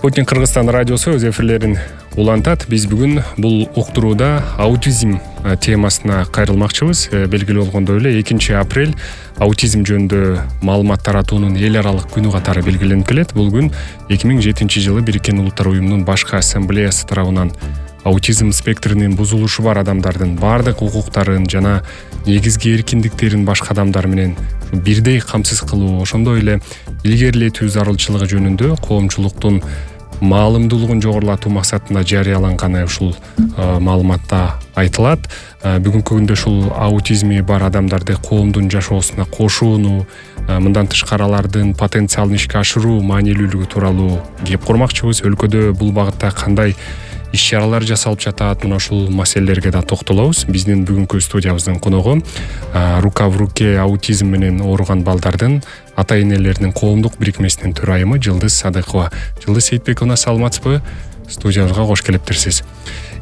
Спутник Кыргызстан радиосу өз эфирлерин улантат. Биз бүгүн бул уктурууда аутизм темасына кайрылмакчыбыз. Белгилүү болгондой эле 2 апрель аутизм жөнүндө маалымат таратуунун эл аралык күнү катары белгиленип келет. Бул күн 2007-жылы Бириккен Улуттар уюмунун башкы ассамблеясы тарабынан аутизм спектринин бузулушу бар адамдардын баардык укуктарын жана негизги эркиндиктерин башка адамдар менен бирдей камсыз кылуу, ошондой эле илгерилетүү зарылчылыгы жөнүндө коомчулуктун маалымдуулугун жогорулатуу максатында жарыяланганы ушул маалыматта айтылат. Бүгүнкү күндө ушул аутизми бар адамдарды коомдун жашоосуна кошууну, мындан тышкары алардын потенциалын ишке ашыруу маанилүүлүгү тууралуу кеп курмакчыбыз. Өлкөдө бул багытта кандай иш-чаралар жасалып жатат, мына ушул маселелерге да токтолобуз. Биздин бүгүнкү студиябыздын коногу рука в руке аутизм менен ооруган балдардын ата-энелеринин коомдук бирикмесинин төрайымы Жылдыз Садыкова. Жылдыз Сейитбековна, саламатсызбы? Студиябызга кош келиптирсиз.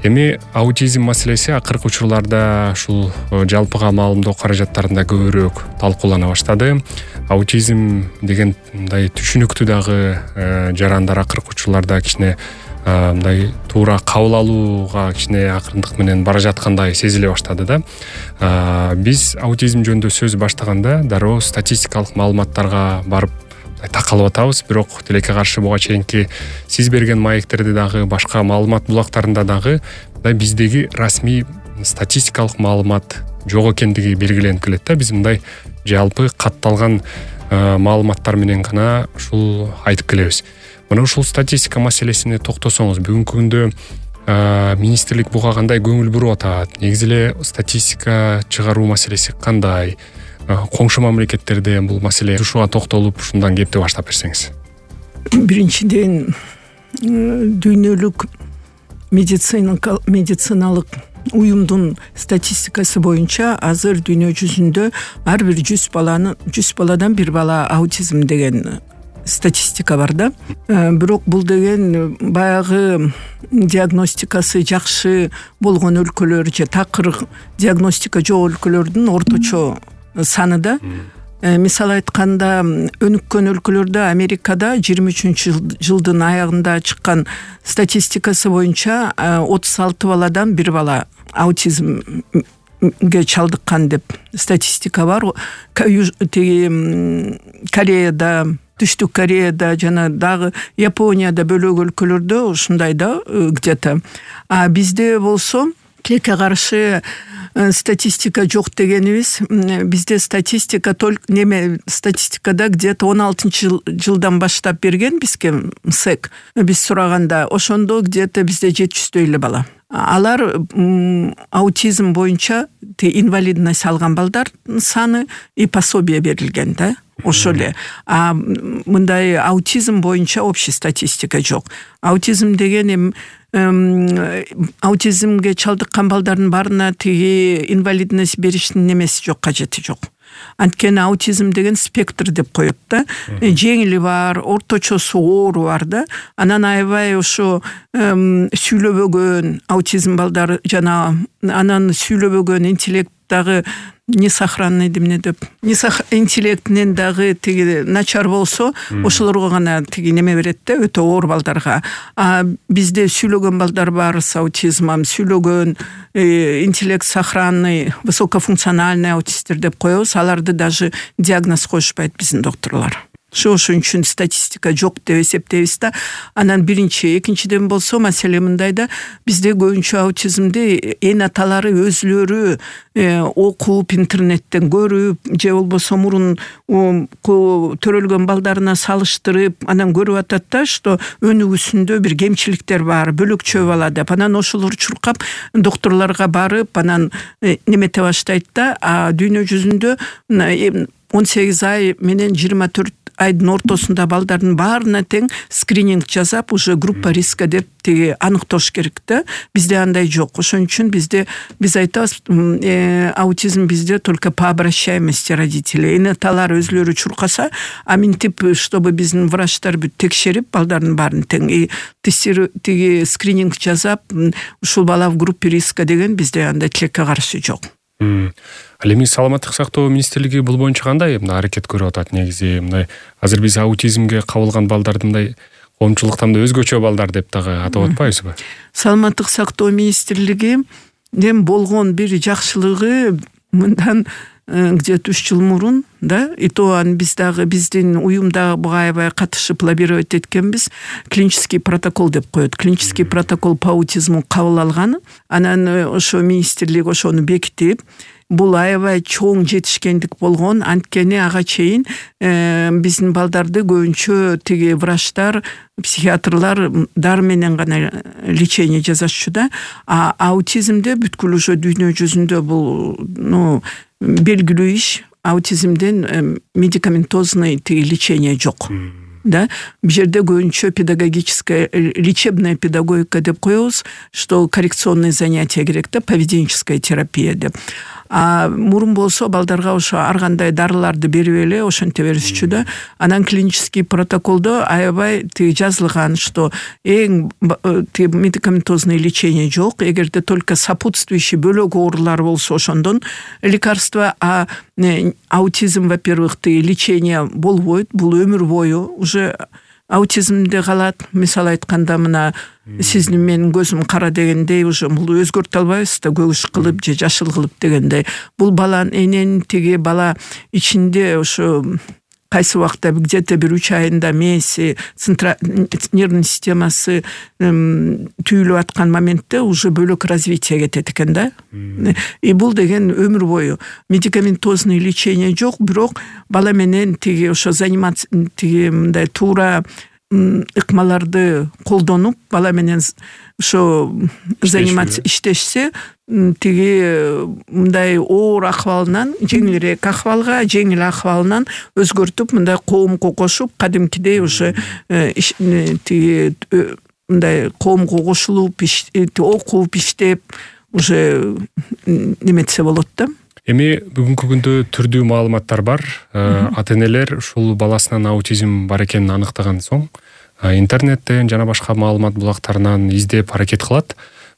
Эми аутизм маселеси акыркы учурларда ушул жалпыга маалымдоо каражаттарында көбүрөөк талкуулана баштады. Аутизм деген мындай түшүнүктүү дагы жарандар акыркы учурларда кичине мындай туура кабыл алууга кичине акырындык менен бара жаткандай сезиле баштады да. Биз аутизм жөнүндө сөз баштаганда дароо статистикалык маалыматтарга барып такалып атабыз. Бирок тилекке каршы буга чейинки сиз берген маектерде дагы башка маалымат булактарында дагы биздеги расмий статистикалык маалымат жок экендиги белгиленип келет да. Биз мындай жалпы катталган маалыматтар менен гана ушул айтып келебиз. Мына ушул статистика маселесине токтосоңуз, бүгүнкү күндө министрлик буга кандай көңүл буруп атат? Негизи эле статистика чыгаруу маселеси кандай? Коңшу мамлекеттерде бул маселе ушуга токтолуп, ушундан кепти баштап берсеңиз. Биринчиден, дүйнөлүк медициналык уюмдун статистикасы боюнча азыр дүйнө жүзүндө ар бир 100 баладан 1 бала аутизм деген статистика бар да. Бирок бул деген баягы диагностикасы жакшы болгон өлкөлөр же такыр диагностика жок өлкөлөрдүн орточо саны да. Мисалы айтканда, өнүккөн өлкөлөрдө Америкада 23-жылдын аягында чыккан статистикасы боюнча 36 баладан 1 бала аутизмге чалдыккан деп статистика бар. Кореяда, Түштүк Кореяда жана дагы Японияда бөлөк өлкөлөрдө ушундай да где-то. А бизде болсо тилекке каршы статистика жок дегенибиз, бизде статистика статистикада где-то 16-жылдан баштап берген бизге МСЭК. Биз сураганда ошондо где-то бизде 700 эле бала. Алар аутизм боюнча инвалидность алган балдардын саны и пособие берилген да. Ошо эле. Мындай аутизм боюнча общий статистика жок. Аутизм деген аутизмге чалдыккан балдардын баарына инвалидность бериштин немеси жок, кажети жок. Анткени аутизм деген спектр деп коет да. Жеңили бар, орточосу оору бар да. Анан аябай ошо сүйлөбөгөн аутизм балдары жана анан сүйлөбөгөн интеллект дагы несохранный интеллектинен дагы начар болсо, ошолорго гана неме берет да, өтө оор балдарга. Бизде сүйлөгөн балдар бар с аутизмом, сүйлөгөн интеллект сохранный, высокофункциональный аутисттер деп коебуз. Аларды даже диагноз коюшпайт биздин докторлор. Ошон үчүн статистика жок деп эсептейбиз да. Анан биринчи, экинчиден болсо маселе мындай да, бизде көбүнчө аутизмди эн аталары өзлөрү окуп, интернеттен көрүп, же болбосо мурун төрөлгөн балдарына салыштырып, анан көрүп атат да, что өнүгүүсүндө бир кемчиликтер бар, бөлөкчө бала деп. Анан ошолор чуркап докторлорго барып, анан немете баштайт да. Дүйнө жүзүндө 18 ай менен 24 айдын ортосунда балдардын баарына тең скрининг жасап, уже группа риска деп аныктош керек да. Бизде андай жок. Ошон үчүн биз айтабыз, аутизм бизде только по обращаемости родителей. Энаталар өзлөрү чуркаса, минтип, чтобы биздин врачтар текшерип, балдардын баарын тең скрининг жасап, ушул бала в группе риска деген бизде андай тилекке каршы жок. Ал эми саламаттык сактоо министрлиги бул боюнча кандай аракет көрүп атат негизи? Мындай азыр биз аутизмге кабылган балдарды мындай коомчулуктан да өзгөчө балдар деп дагы атап атпайбызбы? Саламаттык сактоо министрлиги эми болгон бир жакшылыгы мындан где-то 3 жыл мурун и то биз дагы биздин уюмда буга аябай катышып лоббировать эткенбиз. Клинический протокол деп коет. Клинический протокол по аутизму кабыл алган. Анан ошо министрлик ошону бекитип, бул аябай чоң жетишкендик болгон. Анткени ага чейин биздин балдарды көбүнчө тиги врачтар, психиатрлар дар менен гана лечение жасашчу да. А аутизмде бүткүл ошо дүйнө жүзүндө бул белгилүү иш. Аутизмден медикаментозный лечение жок. Да, бул жерде көбүнчө педагогическая, лечебная педагогика деп коебуз, что коррекционный занятия керек да, поведенческая терапия деп. А мурун болсо балдарга ошо ар кандай дарыларды берип эле ошентип беришчү да. Анан клинический протоколдо аябай жазылган, что эң медикаментозный лечение жок, эгерде только сопутствующий бөлөк оорулар болсо ошондон лекарство, а аутизм, во-первых, лечение болбойт, бул өмүр бою уже аутизмде калат. Мисалы айтканда мына сиздин менин көзүм кара дегендей уже бул өзгөртө албайбыз да, көгүш кылып же жашыл кылып дегендей. Бул баланын бала ичинде ошо кайсы убакта где-то 3 айында мээси, нервный системасы түйүлүп аткан моментте уже бөлөк развитие кетет экен да. И бул деген өмүр бою. Медикаментозный лечение жок, бирок бала менен ошо заниматься мындай туура ыкмаларды колдонуп, бала менен ошо заниматься иштешсе, мындай оор акыбалынан жеңилирээк акыбалга, жеңил акыбалынан өзгөртүп, мындай коомго кошуп, кадимкидей уже мындай коомго кошулуп, окуп, иштеп, уже неметсе болот да. Эми бүгүнкү күндө түрдүү маалыматтар бар. Ата-энелер ушул баласынан аутизм бар экенин аныктаган соң интернеттен жана башка маалымат булактарынан издеп аракет кылат.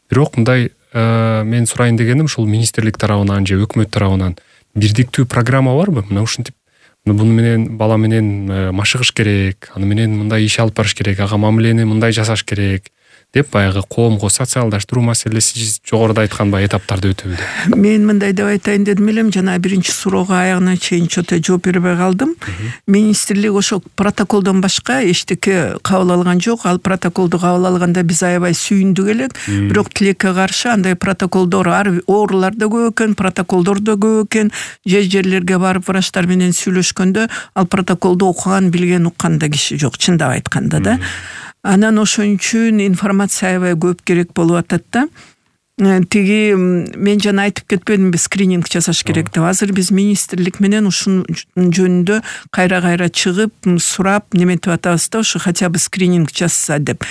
Бирок мындай мен сурайын дегеним, ушул министрлик тарабынан же өкмөт тарабынан бирдиктүү программа барбы? Мына ушинтип буну менен бала менен машыгыш керек, аны менен мындай иш алып барыш керек, ага мамилени мындай жасаш керек деп баягы коомго социалдаштыруу маселеси жогоруда айткан этаптарды өтөбү. Мен мындай деп айтайын дедим элем, жана биринчи суроого аягына чейин чөтө жооп бербей калдым. Министрлик ошо протоколдон башка эчтеке кабыл алган жок. Ал протоколду кабыл алганда биз аябай сүйүндүк элек. Бирок тилекке каршы андай протоколдор оорулар да көп экен, протоколдор да көп экен. Жерлерге барып врачтар менен сүйлөшкөндө ал протоколду окуган, билген, уккан да киши жок, чындап айтканда да. Анан ошон үчүн информация аябай көп керек болуп атат да. Мен жана айтып кетпедимби, скрининг жасаш керек деп. Азыр биз министрлик менен ушун жөнүндө кайра чыгып, сурап, неметип атабыз да, ушу хотя бы скрининг жасса деп.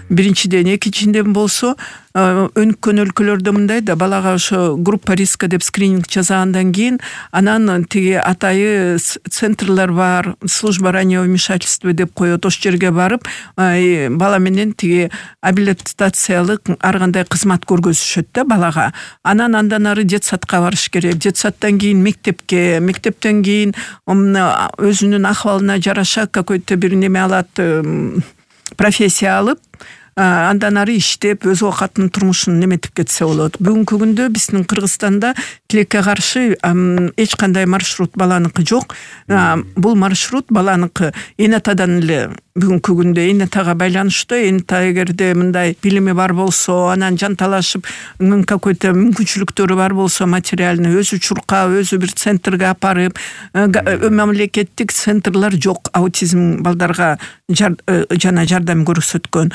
Биринчиден, экинчиден болсо өнүккөн өлкөлөрдө мындай да, балага ошо группа риска деп скрининг жасагандан кийин, анан атайы центрлар бар, служба раннего вмешательства деп коет, ошол жерге барып, бала менен абилитациялык ар кандай кызмат көргөзүшөт да балага. Анан андан ары детсадка барыш керек. Детсадтан кийин мектепке, мектептен кийин өзүнүн акыбалына жараша какой-то бир неме алат, профессия алып, андан ары иштеп, өз оокатынын турмушун неметип кетсе болот. Бүгүнкү күндө биздин Кыргызстанда тилекке каршы эч кандай маршрут баланыкы жок. Бул маршрут баланыкы энатадан эле бүгүнкү күндө энатага байланыштуу. Эната эгерде мындай билими бар болсо, анан жанталашып какой-то мүмкүнчүлүктөрү бар болсо, материальный өзү чуркап, өзү бир центрге апарып, мамлекеттик центрлар жок аутизм балдарга жана жардам көрсөткөн.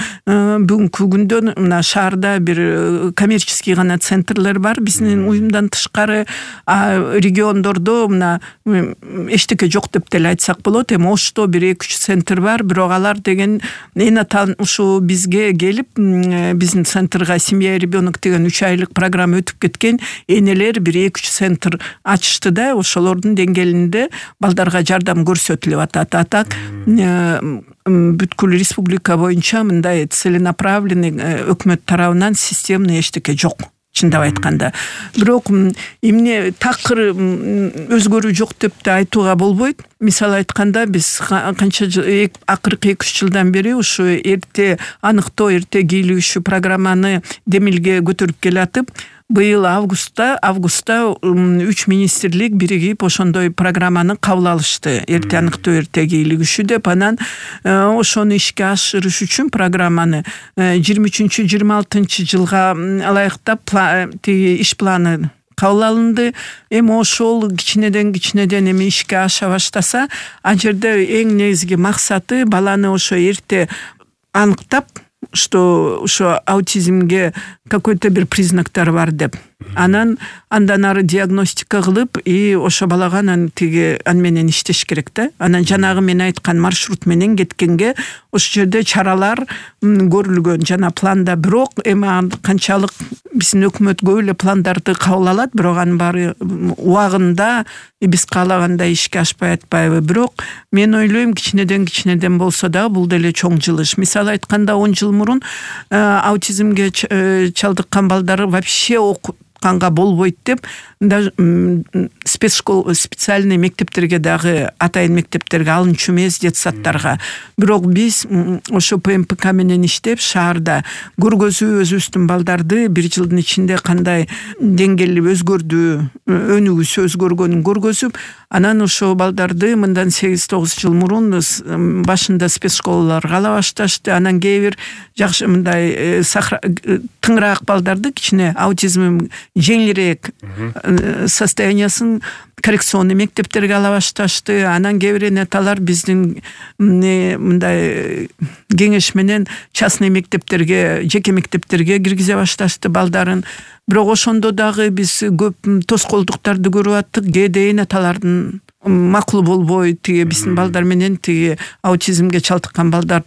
Бүгүнкү күндө мына шаарда бир коммерческий гана центрлер бар, биздин уюмдан тышкары. Региондордо мына эчтеке жок деп деле айтсак болот. Эми Ошто бир 2-3 центр бар, бирок алар деген энатан ушу бизге келип, биздин центрга семья и ребенок деген 3 айлык программа өтүп кеткен энелер бир 2-3 центр ачышты да, ошолордун деңгээлинде балдарга жардам көрсөтүлүп атат. Атак бүткүл республика боюнча мындай целенаправленный өкмөт тарабынан системный эчтеке жок. чындап айтканда. Бирок эмне такыр өзгөрүү жок деп да айтууга болбойт. Мисалы айтканда биз канча акыркы 2-3 жылдан бери ушу эрте аныктоо, эрте кийлигишүү программаны демилге көтөрүп келатып, быйыл августта 3 министрлик биригип ошондой программаны кабыл алышты. Эрте аныктоо, эрте кийлигишүү деп, анан ошону ишке ашырыш үчүн программаны 23-26 жылга ылайыктап иш планы кабыл алынды. Эми ошол кичинеден эми ишке аша баштаса, ал жерде эң негизги максаты баланы ошо эрте аныктап, что ошо аутизмге какой-то бир признактар бар деп. Андан ары диагностика кылып, и ошо балага аны менен иштеш керек да. Анан жанагы мен айткан маршрут менен кеткенге ошол жерде чаралар көрүлгөн жана планда. Бирок эми канчалык биздин өкмөт көп эле пландарды кабыл алат, бирок анын баары убагында биз каалагандай ишке ашпай атпайбы. Бирок мен ойлойм, кичинеден болсо да бул деле чоң жылыш. Мисалы айтканда 10 жыл мурун аутизмге чалдыккан балдары вообще окутканга болбойт деп специальный мектептерге дагы, атайын мектептерге алынчу эмес детсадтарга. Бирок биз ошо ПМПК менен иштеп шаарда көргөзүп, өзүбүздүн балдарды 1 жылдын ичинде кандай деңгээли өзгөрдү, өнүгүүсү өзгөргөнүн көргөзүп, анан ошо балдарды мындан 8-9 жыл мурун башында спецшколаларга ала башташты. Анан кээ бир жакшы мындай тыңыраак балдарды, кичине аутизм жеңилирээк состояниясын коррекционный мектептерге ала башташты. Анан кээ бир энеталар биздин мындай кеңеш менен частный мектептерге, жеке мектептерге киргизе башташты балдарын. Бирок ошондо дагы биз көп тоскоолдуктарды көрүп аттык. Кээде энеталардын макул болбой, биздин балдар менен аутизмге чалдыккан балдар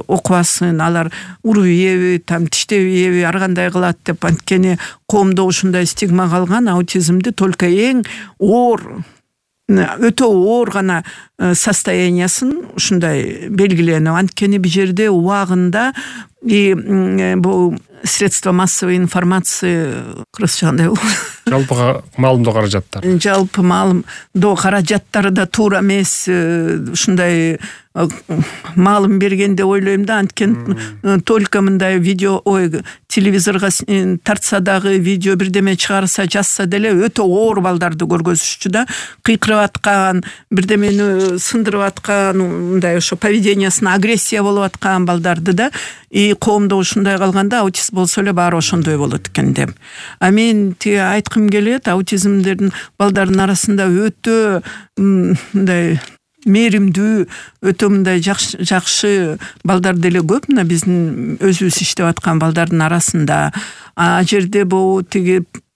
окубасын, алар уруп ийеби, тиштеп ийеби, ар кандай кылат деп. Анткени коомдо ушундай стигма калган, аутизмди только эң оор, өтө оор гана состояниясын ушундай белгиленип. Анткени бул жерде убагында бул средства массовой информации кандай жалпы маалымдоо каражаттары. Жалпы маалымдоо каражаттары да туура эмес, ушундай маалым берген деп ойлойм да. Анткени только мындай видео, телевизорго тартса дагы, видео бирдеме чыгарса, жазса деле өтө оор балдарды көргөзүшчү да. Кыйкырып аткан, бирдемени сындырып аткан, мындай ошо поведениясына агрессия болуп аткан балдарды да. И коомдо ушундай калганда аутист болсо эле баары ошондой болот экен деп. А мен айткым келет, аутизмдердин балдардын арасында өтө мындай мээримдүү, өтө мындай жакшы балдар деле көп. Мына биздин өзүбүз иштеп аткан балдардын арасында. А жерде бул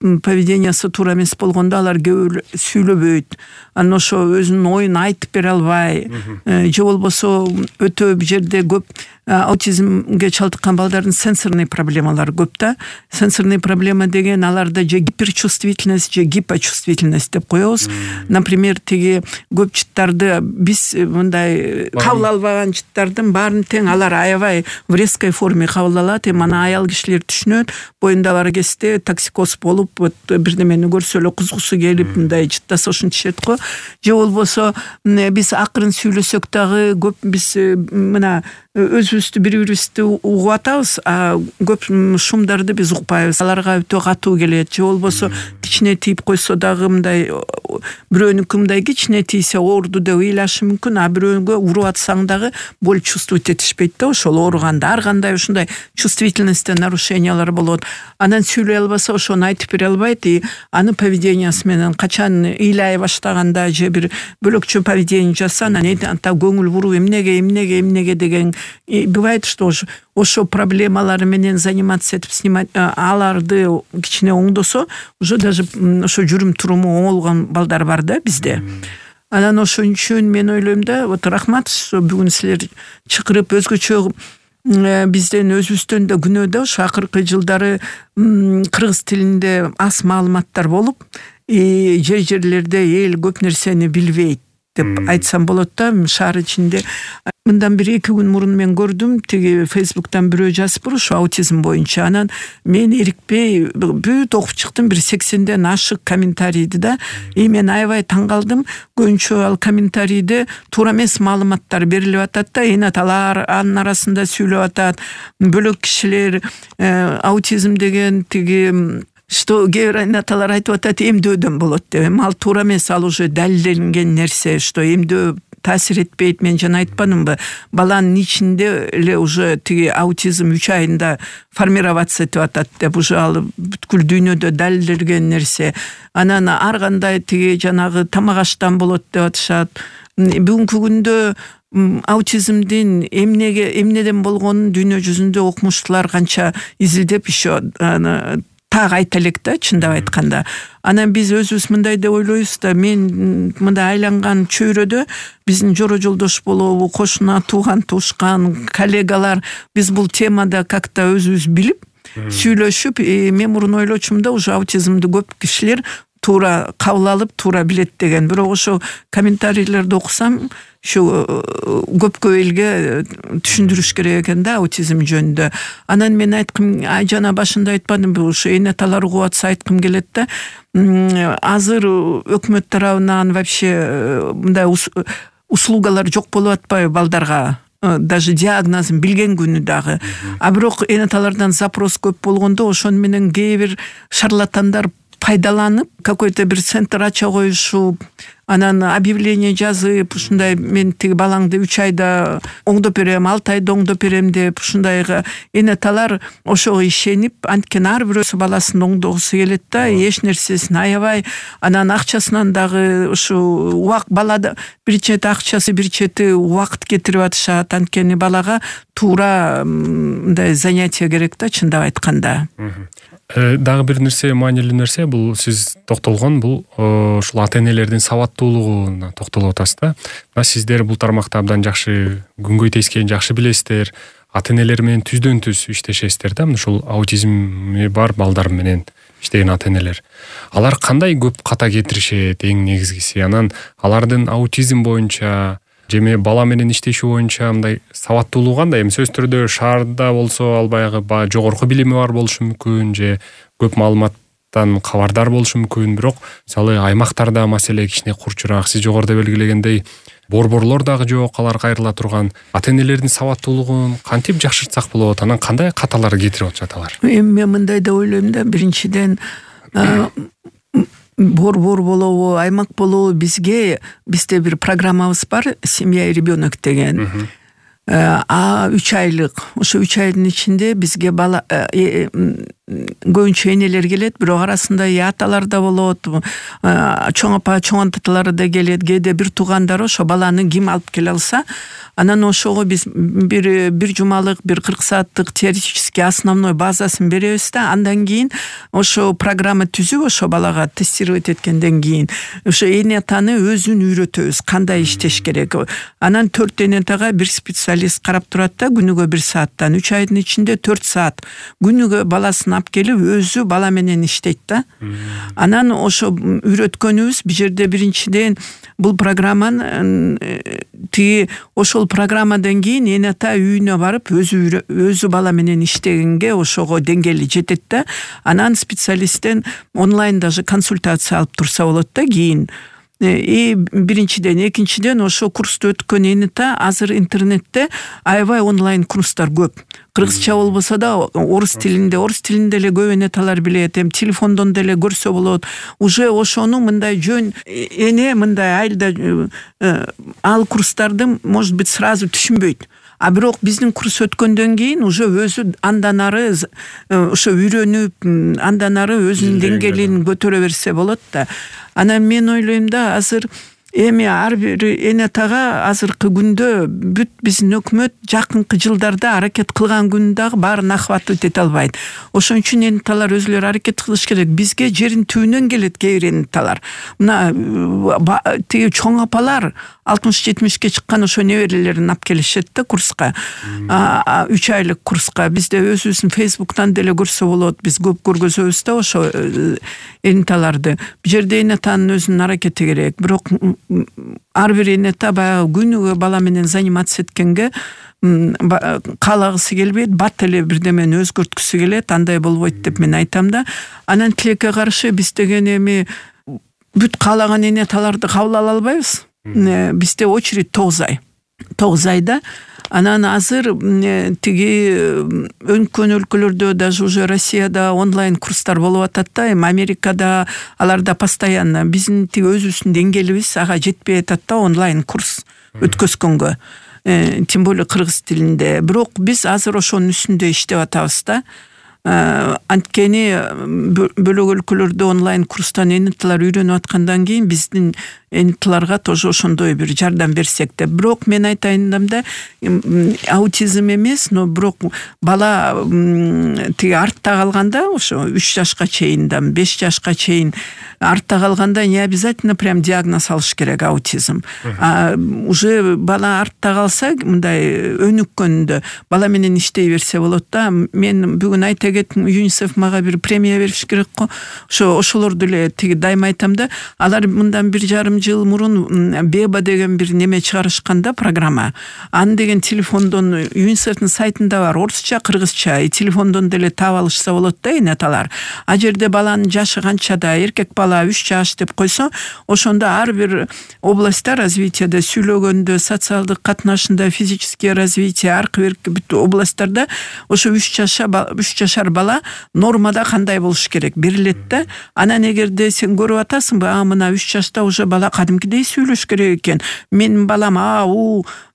поведениясы туура эмес болгондо алар көп сүйлөбөйт. Анан ошо өзүнүн оюн айтып бере албай, же болбосо өтө бул жерде көп аутизмге чалдыккан балдардын сенсорный проблемалары көп да. Сенсорный проблема деген аларда же гиперчувствительность, же гипочувствительность деп коебуз. Например, көп жыттарды биз мындай кабыл албаган жыттардын баарын тең алар аябай в резкой форме кабыл алат. Мана аял кишилер түшүнөт, боюнда бар кезде токсикоз болуп, бирдемени көрсө эле кузгусу келип, мындай жыттаса ушинтишет го. Же болбосо биз акырын сүйлөсөк дагы көп биз мына өзүбүздү бири-бирибизди угуп атабыз, а көп шумдарды биз укпайбыз. Аларга өтө катуу келет. Же болбосо кичине тийип койсо дагы мындай бирөөнүкү мындай кичине тийсе оорду деп ыйлашы мүмкүн, а бирөөгө уруп атсаң дагы боль чувствовать этишпейт да. Ошол ооруганда ар кандай ушундай чувствительностьте нарушениялар болот. Анан сүйлөй албаса, ошону айтып бере албайт. И анын поведениясы менен качан ыйлай баштаганда же бир бөлөкчө поведение жасаса, анан anta көңүл буруп эмнеге деген бывает, что ошо проблемалары менен заниматься этип снимать, аларды кичине оңдосо, уже даже ошо жүрүм туруму оңолгон балдар бар да бизде. Анан ошон үчүн мен ойлойм да, вот рахмат, бүгүн силер чакырып өзгөчө бизден өзүбүздөн да күнөө да ошо акыркы жылдары кыргыз тилинде аз маалыматтар болуп, жерлерде эл көп нерсени билбейт деп айтсам болот да. Шаар ичинде Мындан 1-2 күн мурун мен көрдүм, тиги Facebook'тан бирөө жазып ушу аутизм боюнча. Анан мен эрикпей бүт окуп чыктым, 80ден ашык комментарийди да. Мен аябай таң калдым. Көбүнчө ал комментарийде туура эмес маалыматтар берилип атат да, энаталар анын арасында сүйлөп атат. Бөлөк кишилер аутизм деген тиги что геронаталар айтып атат, эмдөөдөн болот деп. Ал туура эмес, ал уже далилденген нерсе, что эмдөө таасир этпейт. Мен жана айтпадымбы, баланын ичинде эле уже тиги аутизм 3 айында формироваться этип атат деп. Уже ал бүткүл дүйнөдө далилденген нерсе. Анан ар кандай тиги жанагы тамак аштан болот деп атышат. Бүгүнкү күндө аутизмдин эмнеден болгонун дүйнө жүзүндө окумуштуулар канча изилдеп еще так айта элек да, чындап айтканда. Анан биз өзүбүз мындай деп ойлойбуз да, мен мындай айланган чөйрөдө биздин жора жолдош болобу, кошуна, тууган туушкан, коллегалар, биз бул темада как-то өзүбүз билип, сүйлөшүп, мен мурун ойлочумун да, уже аутизмди көп кишилер туура кабыл алып, туура билет деген. Бирок ошо комментарийлерди окусам, шу көпкө элге түшүндүрүш керек экен да аутизм жөнүндө. Анан мен айткым, жана башында айтпадымбы, ушу энаталар угуп атса айткым келет да. Азыр өкмөт тарабынан вообще мындай услугалар жок болуп атпайбы балдарга? Даже диагнозун билген күнү дагы. А бирок энаталардан запрос көп болгондо ошону менен кээ бир шарлатандар пайдаланып, какой-то бир центр ача коюшуп, анан объявление жазып, ушундай мен тиги балаңды 3 айда оңдоп берем, 6 айда оңдоп берем деп, ушундайга энаталар ошого ишенип, анткени ар бирөөсү баласын оңдогусу келет да, эч нерсесин аябай, анан акчасынан дагы ушу балада бир чети акчасы, бир чети убакыт кетирип атышат, анткени балага туура мындай занятие керек да, чындап айтканда. Дагы бир нерсе, маанилүү нерсе, бул сиз токтолгон, бул ушул ата-энелердин сабаттуулугуна токтолуп атасыз да. Сиздер бул тармакта абдан жакшы күнгөй тескени жакшы билесиздер. Ата-энелер менен түздөн түз иштешесиздер да, ушул аутизми бар балдар менен иштеген ата-энелер. Алар кандай көп ката кетиришет, эң негизгиси? Анан алардын аутизм боюнча жеме бала менен иштеши боюнча мындай сабаттуулугу кандай? Сөзсүз түрдө шаарда болсо ал баягы жогорку билими бар болушу мүмкүн, же көп маалыматтан кабардар болушу мүмкүн. Бирок мисалы аймактарда маселе кичине курчураак, сиз жогоруда белгилегендей борборлор дагы жок, алар кайрыла турган. Ата-энелердин сабаттуулугун кантип жакшыртсак болот? Анан кандай каталар кетирип атышат алар? Мен мындай деп ойлойм да, биринчиден борбор болобу, аймак болобу, бизде бир программабыз бар, семья и ребенок деген. 3 айлык. Ошо 3 айдын ичинде бизге бала көбүнчө энелер келет, бирок арасында аталар да болот, чоң апа, чоң аталары да келет, кээде бир туугандары ошо баланы ким алып келе алса, анан ошого биз бир жумалык, бир 40 сааттык теоретический основной базасын беребиз да, андан кийин ошо программа түзүп, ошо балага тестировать эткенден кийин ошо энатаны өзүн үйрөтөбүз, кандай иштеш керек. Анан 4 энатага бир специалист карап турат да, күнүгө 1 сааттан, 3 айдын ичинде 4 саат күнүгө баласын алып келип өзү бала менен иштейт да. Анан ошо үйрөткөнүбүз бул жерде биринчиден бул программаны тиги ошол программадан кийин эната үйүнө барып өзү бала менен иштегенге ошого деңгээли жетет да. Анан специалисттен онлайн даже консультация алып турса болот да кийин. Биринчиден, экинчиден ошо курсту өткөн эната азыр интернетте аябай онлайн курстар көп. Кыргызча болбосо да орус тилинде эле көп энаталар билет, телефондон деле көрсө болот. Уже ошону мындай жөн мындай айылда ал курстарды может быть сразу түшүнбөйт. А бирок биздин курс өткөндөн кийин уже өзү андан ары ошо үйрөнүп, андан ары өзүнүн деңгээлин көтөрө берсе болот да. Анан мен ойлойм да, азыр эми ар бир энатага азыркы күндө бүт биздин өкмөт жакынкы жылдарда аракет кылган күнү дагы баарын охватывать эте албайт. Ошон үчүн энаталар өзүлөрү аракет кылыш керек. Бизге жерин түбүнөн келет кээ бир энаталар. Мына тиги чоң апалар 60-70ке чыккан ошо неберелерин алып келишет да курска. 3 айлык курска. Бизде өзүбүздүн Facebook'тан деле көрсө болот. Биз көп көргөзөбүз да ошо энаталарды. Бул жерде энатанын өзүнүн аракети керек. Бирок ар бир эне баягы күнүгө бала менен заниматься эткенге каалагысы келбейт, бат эле бирдемени өзгөрткүсү келет, андай болбойт деп мен айтам да. Анан тилекке каршы биз деген эми бүт каалаган эне таларды кабыл ала албайбыз. Бизде очередь 9 айда. Анан азыр тиги өнкөн өлкөлөрдө, даже уже Россияда онлайн курстар болуп атат да, эми Америкада аларда постоянно биздин тиги өзүбүздүн деңгээлибиз ага жетпей атат да онлайн курс өткөзгөнгө. Тем более кыргыз тилинде. Бирок биз азыр ошонун үстүндө иштеп атабыз да. Анткени бөлөк өлкөлөрдө онлайн курстан эниталар үйрөнүп аткандан кийин биздин эниталарга тоже ошондой бир жардам берсек деп. Бирок мен айтайын да, аутизм эмес, но бирок бала тиги артта калганда, ошо 3 жашка чейин, 5 жашка чейин артта калганда не обязательно прям диагноз алыш керек аутизм. Уже бала артта калса, мындай өнүккөндө бала менен иштей берсе болот да. Мен бүгүн айта кеттим, ЮНИСЕФ мага бир премия бериш керек го. Ошолорду эле тиги дайыма айтам да, алар мындан 1,5 жыл мурун Беба деген бир неме чыгарышканда, программа. Аны деген телефондон ЮНИСЕФтин сайтында бар, орусча, кыргызча, телефондон деле таап алышса болот да энеталар. А жерде баланын жашы канчада, эркек бала 3 жаш деп койсо, ошондо ар бир областта развитияда, сүйлөгөндө, социалдык катнашында, физический развитие, аркы берки бүт областтарда ошо 3 жашар бала нормада кандай болуш керек берилет да. Анан эгерде сен көрүп атасыңбы, мына 3 жашта уже бала кадимкидей сүйлөш керек экен. Менин балам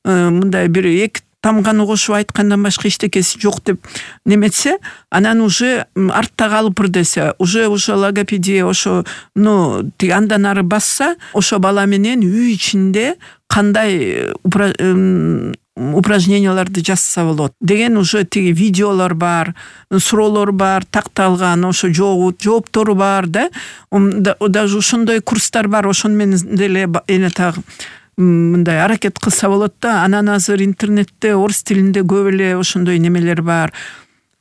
мындай бир 2 тамганы кошуп айткандан башка эчтекеси жок деп неметсе, анан уже артта калыпыр десе, уже логопедия ошо тиги андан ары басса, ошо бала менен үй ичинде кандай упражненияларды жасаса болот деген уже тиги видеолор бар, суроолор бар, такталган, ошо жооптору бар да. Даже ошондой курстар бар, ошону менен деле энетаг мындай аракет кылса болот да. Анан азыр интернетте орус тилинде көп эле ошондой немелер бар.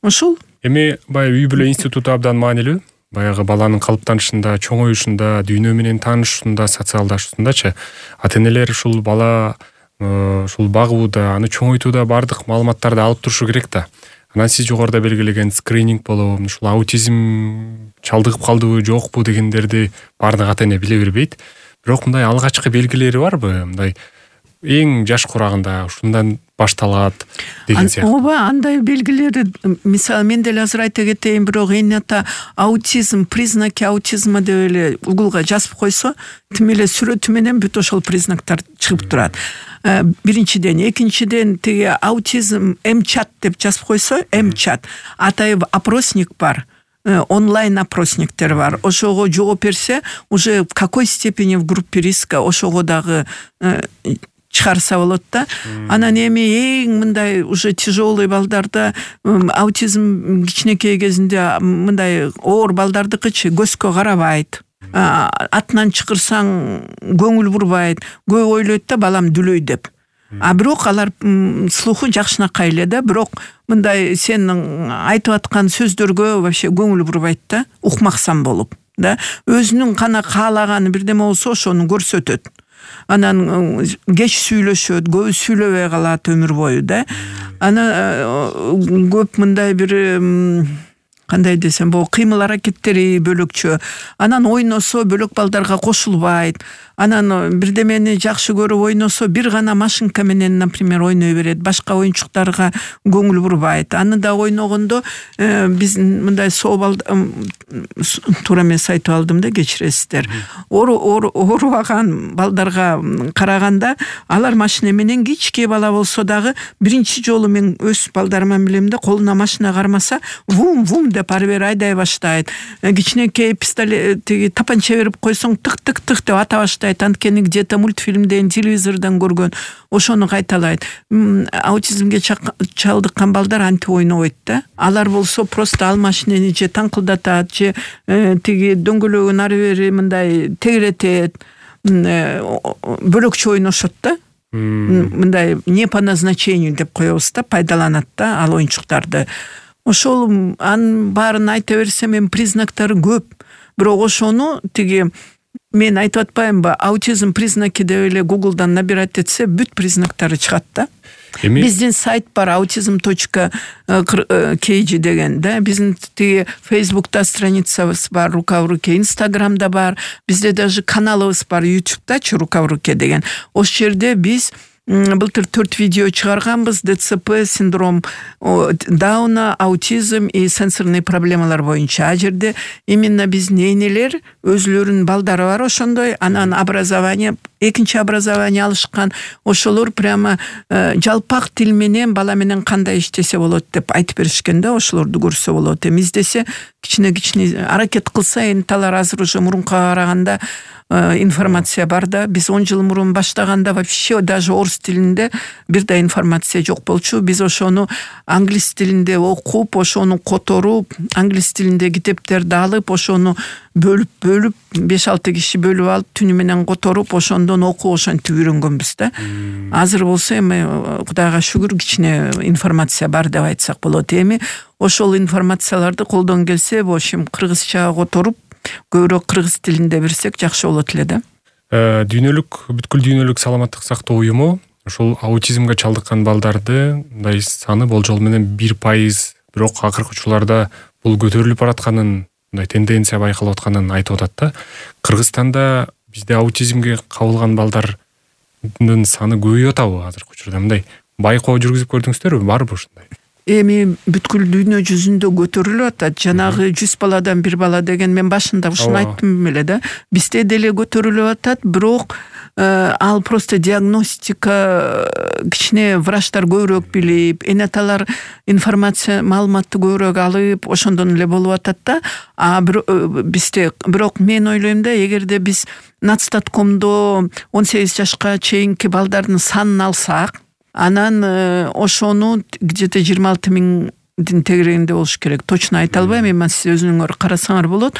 Ошол эми баягы үй бүлө институту абдан маанилүү. Баягы баланын калыптанышында, чоңоюшунда, дүйнө менен таанышышында, социалдашуусундачы ата-энелер ушул бала ушул багууда, аны чоңойтууда бардык маалыматтарды алып турушу керек да. Анан сиз жогоруда белгилеген скрининг болобу, ушул аутизм чалдыгып калдыбы, жокпу дегендерди бардык ата-эне биле бербейт. Бирок мындай алгачкы белгилери барбы? Мындай эң жаш курагында ушундан башталат деген сыяктуу. Ооба, андай белгилери, мисалы мен деле азыр айта кетейин, бирок эне аутизм, признаки аутизма деп эле Googleга жазып койсо, тим эле сүрөтү менен бүт ошол признактар чыгып турат. Биринчиден, экинчиден тиги аутизм МЧАТ деп жазып койсо, МЧАТ атайып опросник бар. Онлайн опросниктер бар. Ошого жооп берсе, уже в какой степени в группе риска ошого дагы чыгарса болот да. Анан эми эң мындай уже тяжелый балдарда аутизм кичинекей кезинде мындай оор балдардыкычы көзгө карабайт. Атынан чыкырсаң көңүл бурбайт. Көп ойлойт да балам дүлөй деп. Бирок алар слуху жакшынакай эле да, бирок мындай сен айтып аткан сөздөргө вообще көңүл бурбайт да, укмаксан болуп да. Өзүнүн кана каалаганы бирдеме болсо ошону көрсөтөт. Анан кеч сүйлөшөт, көбү сүйлөбөй калат өмүр бою да. Анан көп мындай бир кандай десем, бул кыймыл аракеттери бөлөкчө. Анан ойносо бөлөк балдарга кошулбайт. Анан бирдемени жакшы көрүп ойносо бир гана машинка менен, например, ойной берет. Башка оюнчуктарга көңүл бурбайт. Аны да ойногондо биз мындай туура эмес айтып алдым да, кечиресиздер. Оорубаган балдарга караганда, алар машина менен кичке бала болсо дагы биринчи жолу мен өз балдарыма билем да, колуна машина кармаса, вум деп ары бери айдай баштайт. Кичинекей пистолет тиги тапанча берип койсоң, тык деп ата баштайт. Анткени где-то мультфильмден, телевизордон көргөн, ошону кайталайт. Аутизмге чалдыккан балдар антип ойнобойт да. Алар болсо просто ал машинени же таңкылдатат, же тиги дөңгөлөгүн ары бери мындай тегеретет, бөлөкчө ойношот да. Мындай не по назначению деп коебуз да, пайдаланат да ал оюнчуктарды. Ошол анын баарын айта берсем, признактары көп. Бирок ошону тиги мен айтып атпаймынбы, аутизм признаки деп эле Google'дан набирать этсе бүт признактары чыгат да. Биздин сайт бар autism.kg деген да. Биздин тиги Facebook'та страницабыз бар, рука в руке, Instagram'да бар. Бизде даже каналыбыз бар YouTube'дачы, рука в руке деген. Ошол жерде биз былтыр 4 видео чыгарганбыз. ДЦП, синдром Дауна, аутизм и сенсорный проблемалар боюнча. А жерде именно биздин энелер өзлөрүнүн балдары бар ошондой, анан образование, экинчи образование алышкан. Ошолор прямо жалпак тил менен бала менен кандай иштесе болот деп айтып беришкен да, ошолорду көрсө болот. Издесе кичине аракет кылса, энталар азыр уже мурункуга караганда информация бар да. Биз 10 жыл мурун баштаганда вообще даже орус тилинде бир да информация жок болчу. Биз ошону англис тилинде окуп, ошону которуп, англис тилинде китептерди алып, ошону бөлүп 5-6 киши бөлүп алып, түнү менен которуп, ошондон окуп, ошентип үйрөнгөнбүз да. Азыр болсо эми Кудайга шүгүр кичине информация бар деп айтсак болот. Эми ошол информацияларды колдон келсе, ошим кыргызча которуп, көбүрөөк кыргыз тилинде берсек жакшы болот эле да. Бүткүл дүйнөлүк саламаттык сактоо уюму ошол аутизмге чалдыккан балдарды мындай саны болжол менен 1%, бирок акыркы учурларда бул көтөрүлүп баратканын, мындай тенденция байкалып атканын айтып атат да. Кыргызстанда бизде аутизмге кабылган балдардын саны көбөйүп атабы азыркы учурда? Мындай байкоо жүргүзүп көрдүңүздөрбү? Барбы ушундай? Эми бүткүл дүйнө жүзүндө көтөрүлүп атат. Жанагы 100 баладан 1 бала деген мен башында ушуну айттым эле да. Бизде деле көтөрүлүп атат, бирок ал просто диагностика, кичине врачтар көбүрөөк билип, энаталар информация, маалыматты көбүрөөк алып, ошондон эле болуп атат да. Бизде бирок мен ойлойм да, эгерде биз Нацстаткомдо 18 жашка чейинки балдардын санын алсак, анан ошону где-то 26 миңдин тегерегинде болуш керек. Точно айта албайм, эми сиз өзүңөр карасаңар болот.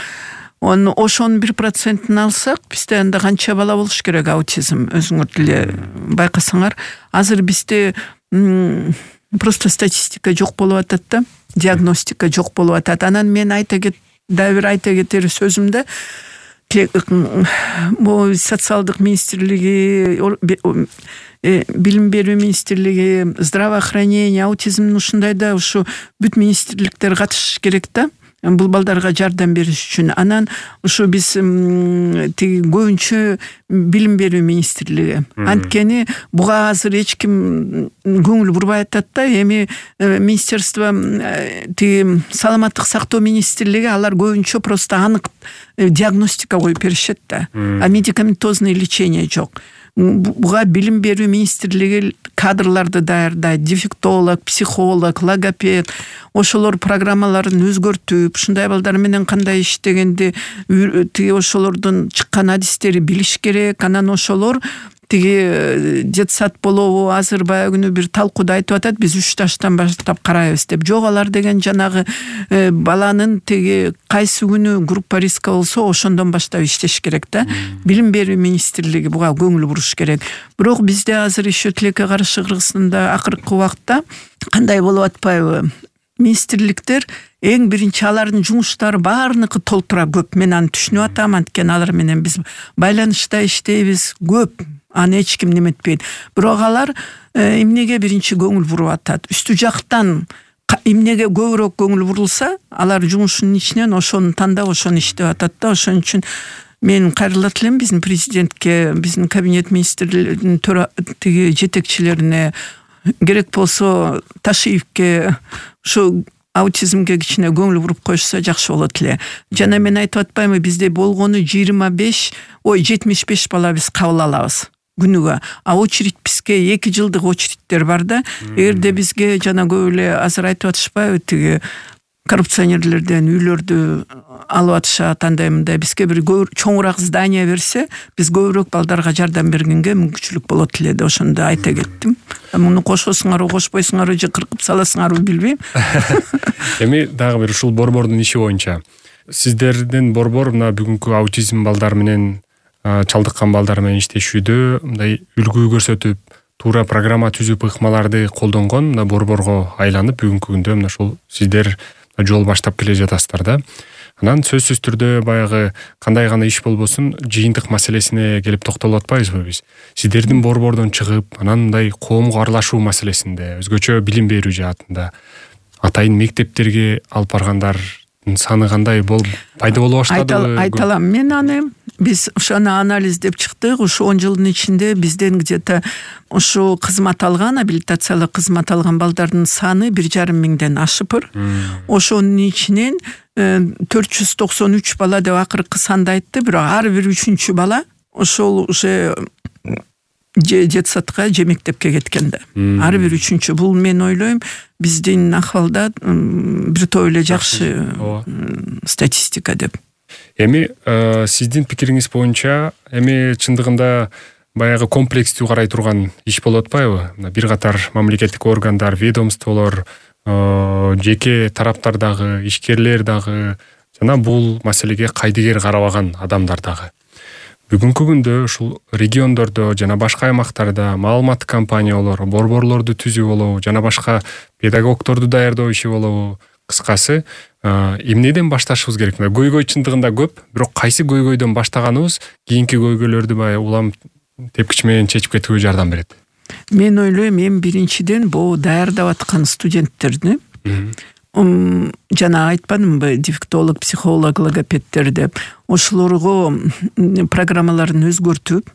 Ошонун 1%-ын алсак, бизде анда канча бала болуш керек аутизм, өзүңөр деле байкасаңар. Азыр бизде просто статистика жок болуп атат да, диагностика жок болуп атат. Анан мен айта кетер сөзүмдө, бул социалдык министрлиги, билим берүү министрлиги, здравоохранение, аутизмдин ушундайда ушу бүт министрликтер катышыш керек да, бул балдарга жардам бериш үчүн. Анан ушу биз тиги көбүнчө билим берүү министрлиги. Анткени буга азыр эч ким көңүл бурбай атат да. Эми министерство, тиги саламаттык сактоо министрлиги, алар көбүнчө просто анык диагностика коюп беришет да. А медикаментозный лечение жок. Буга билим берүү министрлиги кадрларды даярдайт, дефектолог, психолог, логопед, ошолор программаларын өзгөртүп, ушундай балдар менен кандай иштегенди, тиги ошолордун чыккан адистери билиш керек. Анан ошолор тиги детсад болобу, азыр баягы күнү бир талкууда айтып атат, биз 3 жаштан баштап карайбыз деп. Жок, алар деген жанагы баланын тиги кайсы күнү группа риска болсо, ошондон баштап иштеш керек да. Билим берүү министрлиги буга көңүл буруш керек. Бирок бизде азыр еще тилекке каршы Кыргызстанда акыркы убакта кандай болуп атпайбы? Министрликтер эң биринчи алардын жумуштары баарыныкы толтура көп. Мен аны түшүнүп атам, анткени алар менен биз байланышта иштейбиз көп. Аны эч ким неметпейт. Бирок алар эмнеге биринчи көңүл буруп атат? Үстү жактан эмнеге көбүрөөк көңүл бурулса, алар жумушунун ичинен ошону тандап, ошону иштеп атат да. Ошон үчүн мен кайрылат элем биздин президентке, биздин кабинет министрлеринин тиги жетекчилерине, керек болсо Ташиевке ушу аутизмге кичине көңүл буруп коюшса жакшы болот эле. Жана мен айтып атпаймынбы, бизде болгону 75 бала биз кабыл алабыз күнүгө. А очередь бизге 2 жылдык очередьтер бар да. Эгерде бизге жана көп эле азыр айтып атышпайбы, тиги коррупционерлерден үйлөрдү алып атышат, андай мындай, бизге бир чоңураак здание берсе, биз көбүрөөк балдарга жардам бергенге мүмкүнчүлүк болот эле деп ошондо айта кеттим. Муну кошосуңарбы, кошпойсуңарбы же кыркып саласыңарбы билбейм. Эми дагы бир ушул борбордун иши боюнча, сиздердин борбор мына бүгүнкү аутизм балдар менен чалдыккан балдар менен иштешүүдө мындай үлгү көрсөтүп, туура программа түзүп, ыкмаларды колдонгон мына борборго айланып, бүгүнкү күндө мына ушул сиздер жол баштап келе жатасыздар да. Анан сөзсүз түрдө баягы кандай гана иш болбосун жыйынтык маселесине келип токтолуп атпайбызбы биз? Сиздердин борбордон чыгып, анан мындай коомго аралашуу маселесинде, өзгөчө билим берүү жаатында атайын мектептерге алып баргандардын саны кандай пайда боло баштадыбы? Айта алам. Мен аны биз ошону анализдеп чыктык. Ушу 10 жылдын ичинде бизден где-то ушу кызмат алган, абилитациялык кызмат алган балдардын саны 1,5 миңден ашыпыр. Ошонун ичинен 493 бала деп акыркы санды айтты, бирок ар бир 3-чү бала ошол уже детсадка же мектепке кеткен да. Ар бир 3-чү. Бул мен ойлойм биздин акыбалда бир топ эле жакшы статистика деп. Эми сиздин пикириңиз боюнча эми чындыгында баягы комплекстүү карай турган иш болуп атпайбы? Бир катар мамлекеттик органдар, ведомстволор, жеке тараптар дагы, ишкерлер дагы жана бул маселеге кайдыгер карабаган адамдар дагы. Бүгүнкү күндө ушул региондордо жана башка аймактарда маалыматтык компаниялар, борборлорду түзүү болобу, жана башка педагогдорду даярдоо иши болобу, кыскасы эмнеден башташыбыз керек? Көйгөй чындыгында көп, бирок кайсы көйгөйдөн баштаганыбыз кийинки көйгөйлөрдү баягы улам тепкич менен чечип кетүүгө жардам берет. Мен ойлойм, эми биринчиден бул даярдап аткан студенттерди жана айтпадымбы, дефектолог, психолог, логопедтер деп, ошолорго программаларын өзгөртүп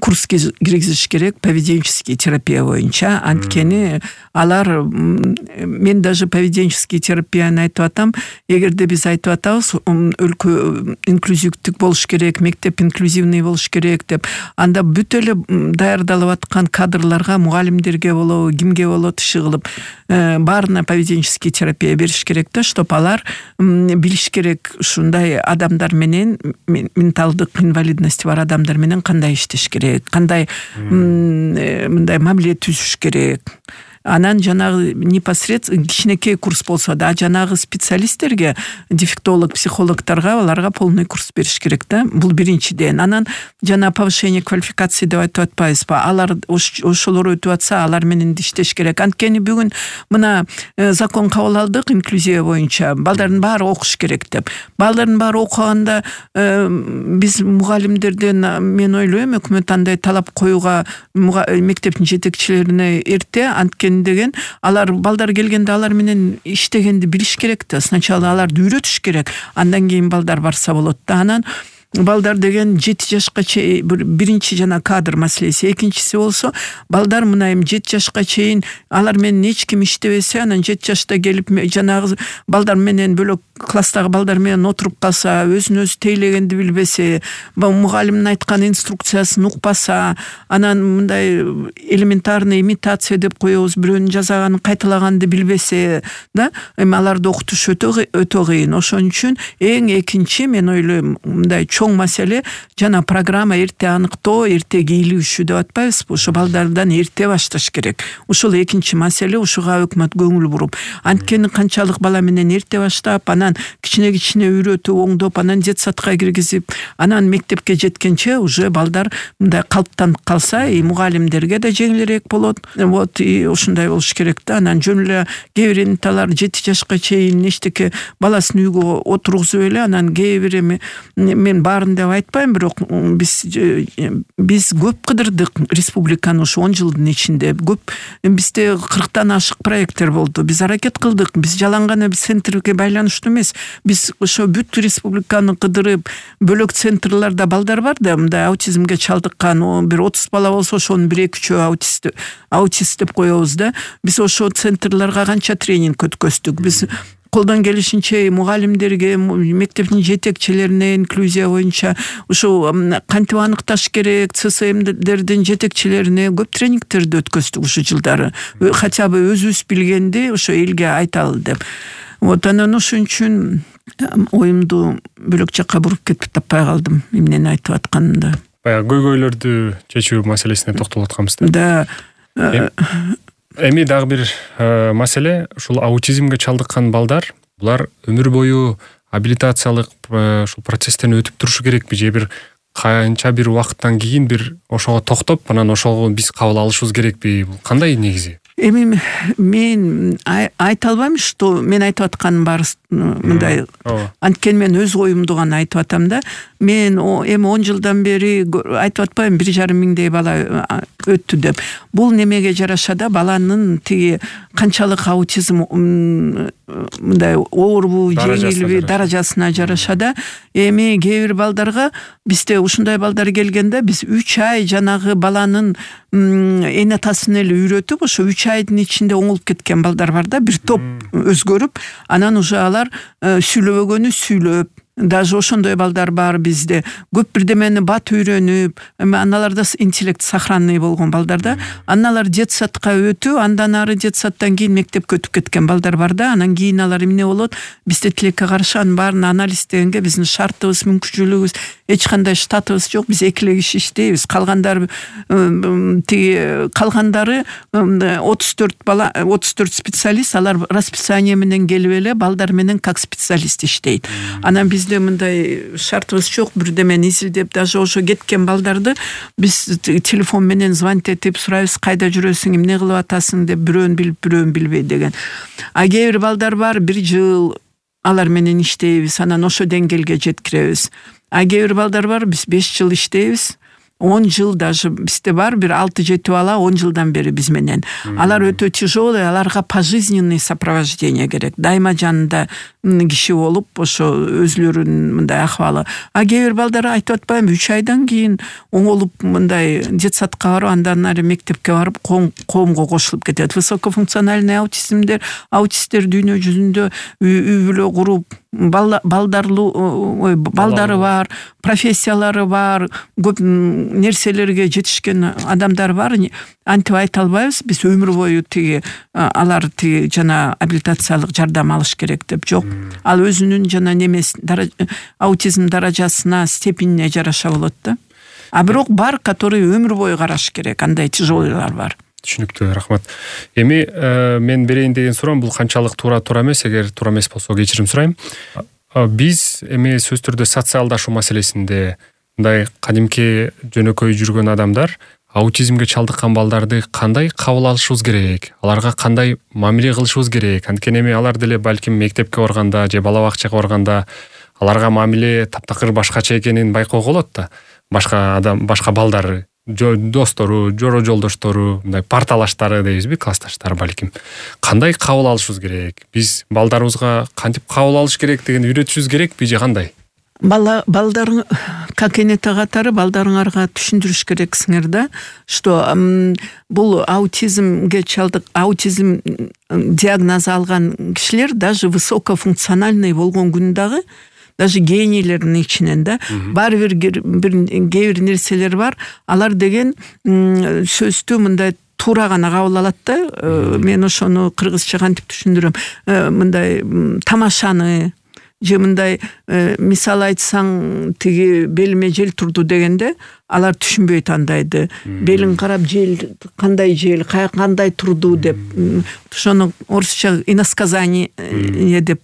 курска киргизиш керек, поведенческий терапия боюнча. Анткени алар, мен даже поведенческий терапияны айтып атам, эгерде биз айтып атабыз өлкө инклюзивдик болуш керек, мектеп инклюзивный болуш керек деп, анда бүт эле даярдалып аткан кадрларга, мугалимдерге болобу, кимге болот иши кылып баарына поведенческий терапия бериш керек да, чтоб алар билиш керек ушундай адамдар менен, менталдык инвалидности бар адамдар менен кандай иштеш керек, кандай мындай мамиле түзүш керек. Анан жанагы непосредственно кичинекей курс болсо да, жанагы специалисттерге, дефектолог, психологторго аларга полный курс бериш керек да. Бул биринчиден. Анан жана повышение квалификации деп айтып атпайбызбы? Алар ошолор өтүп атса, алар менен иштеш керек. Анткени бүгүн мына закон кабыл алдык инклюзия боюнча. Балдардын баары окуш керек деп. Балдардын баары окуганда биз мугалимдерден, мен ойлойм, өкмөт андай талап коюуга мектептин жетекчилерине эрте, анткени деген алар балдар келгенде алар менен иштегенди билиш керек да. Сначала аларды үйрөтүш керек, андан кийин балдар барса болот да. Анан балдар деген 7 жашка чейин биринчи жана кадр маселеси, экинчиси болсо балдар мына эми 7 жашка чейин алар менен эч ким иштебесе, анан 7 жашта келип жанагы балдар менен бөлөк класстагы балдар менен отуруп калса, өзүн өзү тейлегенди билбесе, мугалимдин айткан инструкциясын укпаса, анан мындай элементарный имитация деп коебуз, бирөөнүн жазаганын кайталаганды билбесе да, эми аларды окутуш өтө кыйын. Ошон үчүн эң экинчи, мен ойлойм, мындай чоң маселе жана программа эрте аныктоо, эрте кийлигишүү деп атпайбызбы? Ошо балдардан эрте башташ керек. Ушул экинчи маселе, ушуга өкмөт көңүл буруп. Анткени канчалык бала менен эрте баштап, анан кичине үйрөтүп, оңдоп, анан детсадка киргизип, анан мектепке жеткенче уже балдар мындай калыптанып калса, мугалимдерге да жеңилирээк болот. Вот ушундай болуш керек да. Анан жөн эле кээ бир энталар 7 жашка чейин эчтеке баласын үйгө отургузуп эле, анан кээ бир мен баарын деп айтпайм, бирок биз көп кыдырдык республиканы ушу 10 жылдын ичинде. Көп, бизде 40тан ашык проекттер болду. Биз аракет кылдык. Биз жалаң гана центрге байланыштуу эмес. Биз ошо бүт республиканы кыдырып, бөлөк центрларда балдар бар да, мындай аутизмге чалдыккан, бир 30 бала болсо ошонун 1-2 аутист деп коебуз да. Биз ошо центрларга канча тренинг өткөздүк. Биз колдон келишинче мугалимдерге, мектептин жетекчилерине инклюзия боюнча ушу кантип аныкташ керек, ЦСМдердин жетекчилерине көп тренингтерди өткөздүк ушу жылдары. Хотя бы өзүбүз билгенди ошо элге айталы деп. Вот анан ошон үчүн оюмду бөлөк жакка буруп кетип таппай калдым, эмнени айтып атканымды. Баягы көйгөйлөрдү чечүү маселесине токтолуп атканбыз да. Эми дагы бир маселе, ушул аутизмге чалдыккан балдар, булар өмүр бою абилитациялык ушул процесстен өтүп турушу керекпи, же бир канча бир убакыттан кийин бир ошого токтоп, анан ошого биз кабыл алышыбыз керекпи? Бул кандай негизи? Эми мен айта албайм, что мен айтып атканым баары мындай. Анткени мен өз оюмду гана айтып атам да. Мен эми 10 жылдан бери айтып атпайм 1,5 миңдей бала өттү деп. Бул немеге жараша да, баланын тиги канчалык аутизм мындай оорбу, жеңилби даражасына жараша да. Эми кээ бир балдарга бизде ушундай балдар келгенде биз 3 ай жанагы баланын эне атасын эле үйрөтүп, ошо 3 айдын ичинде оңолуп кеткен балдар бар да, бир топ өзгөрүп, анан уже алар сүйлөбөгөнү сүйлөп, даже ошондой балдар бар бизде. Көп бирдемени бат үйрөнүп, аналарда интеллект сохранный болгон балдар да. Аналар детсадка өтүп, андан ары детсадтан кийин мектепке өтүп кеткен балдар бар да. Анан кийин алар эмне болот? Бизде тилекке каршы анын баарын анализдегенге биздин шартыбыз, мүмкүнчүлүгүбүз, эч кандай штатыбыз жок. Биз эки эле киши иштейбиз. Калгандары 34 бала, 34 специалист, алар расписание менен келип эле балдар менен как специалист иштейт. Анан бизде мындай шартыбыз жок, бирдемени изилдеп, даже ошо кеткен балдарды биз телефон менен звонить этип сурайбыз, кайда жүрөсүң, эмне кылып атасың деп, бирөөнү билип, бирөөнү билбей деген. А кээ бир балдар бар, 1 жыл алар менен иштейбиз, анан ошо деңгээлге жеткиребиз. А кээ бир балдар бар, биз 5 жыл иштейбиз. 10 жыл даже бизде бар, бир 6-7 бала 10 жылдан бери биз менен. Алар өтө тяжелый, аларга пожизненный сопровождение керек. Дайыма жанында киши болуп, ошо өзлөрүнүн мындай акыбалы. А кээ бир балдар айтып атпайм, 3 айдан кийин оңолуп мындай детсадка барып, андан ары мектепке барып, коомго кошулуп кетет. Высокофункциональный аутисттер дүйнө жүзүндө үй бүлө куруп, балдары бар, профессиялары бар, көп нерселерге жетишкен адамдар бар. Антип айта албайбыз, биз өмүр бою тиги алар тиги жана абилитациялык жардам алыш керек деп жок. Ал өзүнүн жана аутизм даражасына, степенине жараша болот да. А бирок бар, который өмүр бою караш керек, андай тяжелыйлар бар. Түшүнүктүү, рахмат. Эми мен берейин деген суроом бул канчалык туура эмес, эгер туура эмес болсо кечирим сурайм. Биз эми сөз түрдө социалдашуу маселесинде мындай кадимки жөнөкөй жүргөн адамдар аутизмге чалдыккан балдарды кандай кабыл алышыбыз керек? Аларга кандай мамиле кылышыбыз керек? Анткени эми алар деле балким мектепке барганда же бала бакчага барганда аларга мамиле таптакыр башкача экенин байкоого болот да. Башка балдар, достору, жоро жолдоштору, мындай парталаштары дейбизби, классташтары балким. Кандай кабыл алышыбыз керек? Биз балдарыбызга кантип кабыл алыш керек деген үйрөтүшүбүз керекпи же кандай? Балдарың, как энете катары балдарыңарга түшүндүрүш керексиңер да, что бул аутизм диагнозу алган кишилер даже высокофункциональный болгон күндагы, даже генийлердин ичинен да, баары бир кээ бир нерселер бар, алар деген сөздү мындай туура гана кабыл алат да. Мен ошону кыргызча кантип түшүндүрөм? Мындай тамашаны же мындай мисал айтсаң, тиги белиме жел турду дегенде алар түшүнбөйт андайды. Белин карап жел кандай турду деп, ошону орусча иносказание деп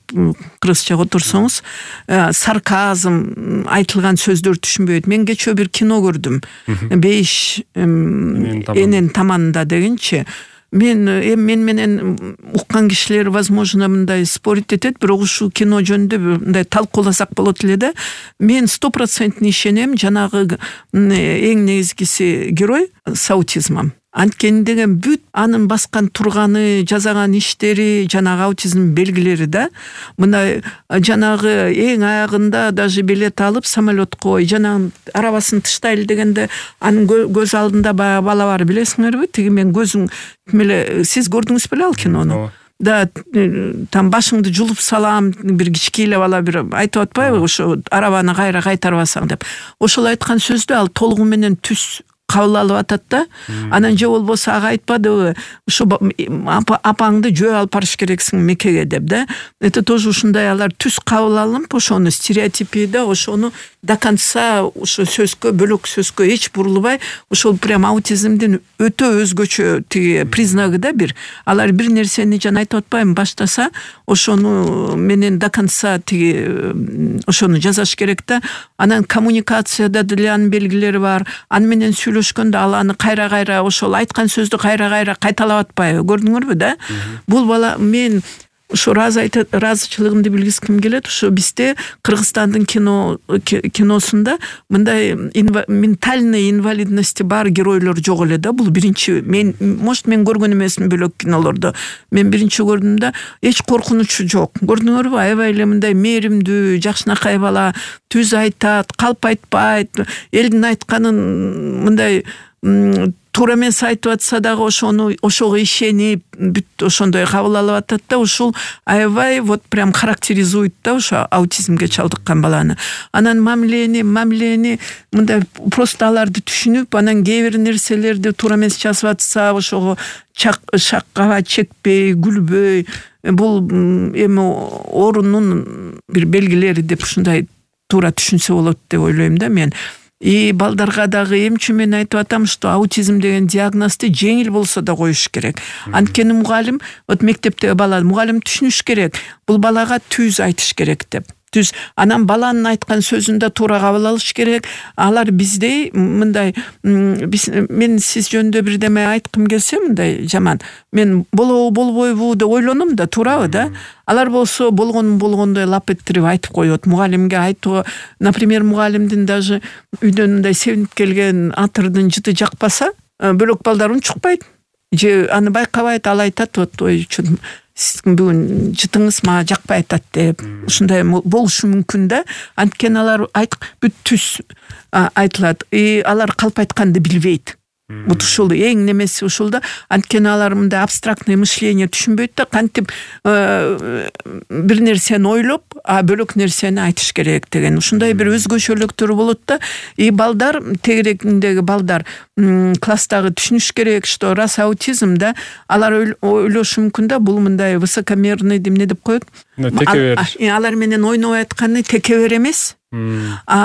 кыргызчага отурсоңуз, сарказм айтылган сөздөр түшүнбөйт. Мен кечөө бир кино көрдүм. 5 энен таманында дегенчи. Мен менен уккан кишилер возможно мындай спорить этет, бирок ушул кино жөнүндө мындай талкууласак болот эле да. Мен 100% ишенем, жанагы эң негизгиси герой с аутизмом. Анткени деген бүт анын баскан турганы, жазаган иштери, жанагы аутизм белгилери да. Мына жанагы эң аягында даже билет алып самолетко, жанагы арабасын тыштайлы дегенде анын көз алдында бала бар, билесиңерби? Тиги мен көзүң эле, сиз көрдүңүз беле ал кинону? Да, там башыңды жулуп салам, бир кичкейле бала бир айтып атпайбы, ошо арабаны кайра кайтарбасаң деп. Ошол айткан сөздү ал толугу менен түз кабыл алып атат да. Анан же болбосо ага айтпадыбы, ушу апаңды жөө алып барыш керексиң Меккеге деп да. Это тоже ушундай алар түз кабыл алып, ошону стереотипи да, ошону до конца ошо сөзгө, бөлөк сөзгө эч бурулбай, ошол прям аутизмдин өтө өзгөчө тиги признагы да бир. Алар бир нерсени жана айтып атпайм, баштаса, ошону менен до конца тиги ошону жазаш керек да. Анан коммуникацияда деле анын белгилери бар. Аны менен сүйлөшүп сүйлөшкөндө ал аны кайра ошол айткан сөздү кайра кайталап атпайбы, көрдүңөрбү да? Бул бала мен ошо ыраазычылыгымды билгизгим келет. Ошо бизде Кыргызстандын киносунда мындай ментальный инвалидности бар геройлор жок эле да. Бул биринчи мен көргөн эмесмин бөлөк кинолордо. Мен биринчи көрдүм да, эч коркунучу жок. Көрдүңөрбү? Аябай эле мындай мээримдүү, жакшынакай бала, түз айтат, калп айтпайт, элдин айтканын мындай туура эмес айтып атса дагы ошого ишенип бүт ошондой кабыл алып атат да. Ушул аябай вот прям характеризует да ошо аутизмге чалдыккан баланы. Анан мамилени мындай просто аларды түшүнүп, анан кээ бир нерселерди туура эмес жазып атса ошого шаккаба чекпей, күлбөй, бул эми оорунун бир белгилери деп ушундай туура түшүнсө болот деп ойлойм да мен. И балдарга дагы эмчи мен айтып атам, что аутизм деген диагнозду жеңил болсо да коюш керек. Анткени мугалим, вот мектептеги бала мугалим түшүнүш керек. Бул балага түз айтыш керек деп. Түз. Анан баланын айткан сөзүн да туура кабыл алыш керек. Алар биздей мындай мен сиз жөнүндө бирдеме айткым келсе мындай жаман. Мен болбойбу деп ойлоном да, туурабы да? Алар болсо болгондой лап ettирип айтып коет. Мугалимге айтуу, например, мугалимдин даже үйдөн мындай себинип келген атырдын жыты жакпаса, бөлөк балдар унчукпайт. Же аны байкабайт, ал айтат, вот ой, сиздин бүгүн жытыңыз мага жакпай атат деп. Ушундай болушу мүмкүн да. Анткени алар бүт түз айтылат. И алар калп айтканды билбейт. Вот ушул эң немеси ушул да. Анткени алар мындай абстрактный мышление түшүнбөйт да, кантип бир нерсени ойлоп, бөлөк нерсени айтыш керек деген ушундай бир өзгөчөлүктөр болот да. И балдар, тегерегиндеги балдар класстагы түшүнүш керек, что раз аутизм да, алар ойлошу мүмкүн да, бул мындай высокомерный эмне деп коет. Алар менен ойнобой атканы текебер эмес.